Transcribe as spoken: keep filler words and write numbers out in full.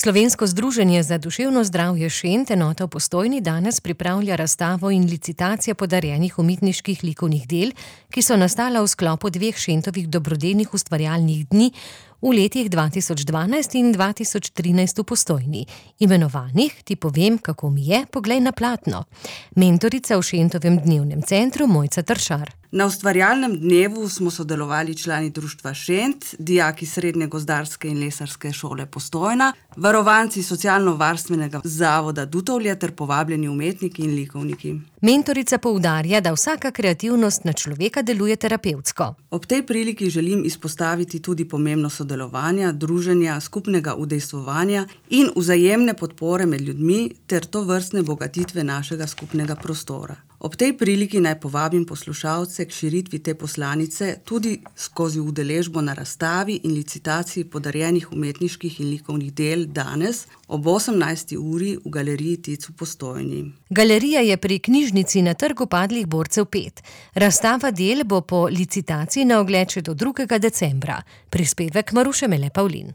Slovensko združenje za duševno zdravje Šent, enota v Postojni, danes pripravlja razstavo in licitacije podarjenih umetniških likovnih del, ki so nastala v sklopu dveh Šentovih dobrodelnih ustvarjalnih dni v letih dva tisoč dvanajst in dva tisoč trinajst v Postojni, imenovanih Ti povem, kako mi je, poglej na platno. Mentorica v Šentovem dnevnem centru Mojca Tršar. Na ustvarjalnem dnevu smo sodelovali člani društva Šent, dijaki Srednje gozdarske in lesarske šole Postojna, varovanci socialno-varstvenega zavoda Dutovlje ter povabljeni umetniki in likovniki. Mentorica poudarja, da vsaka kreativnost na človeka deluje terapevtsko. Ob tej priliki želim izpostaviti tudi pomembnost sodelovanja, druženja, skupnega udejstvovanja in vzajemne podpore med ljudmi ter tovrstne bogatitve našega skupnega prostora. Ob tej priliki naj povabim poslušalce k širitvi te poslanice tudi skozi udeležbo na razstavi in licitaciji podarjenih umetniških in likovnih del danes ob osemnajsti uri v galeriji Tic v Postojni. Galerija je pri knjižnici na Trgu padlih borcev pet. Razstava del bo po licitaciji na ogled še do drugega decembra. Prispevek Maruše Mele Pavlin.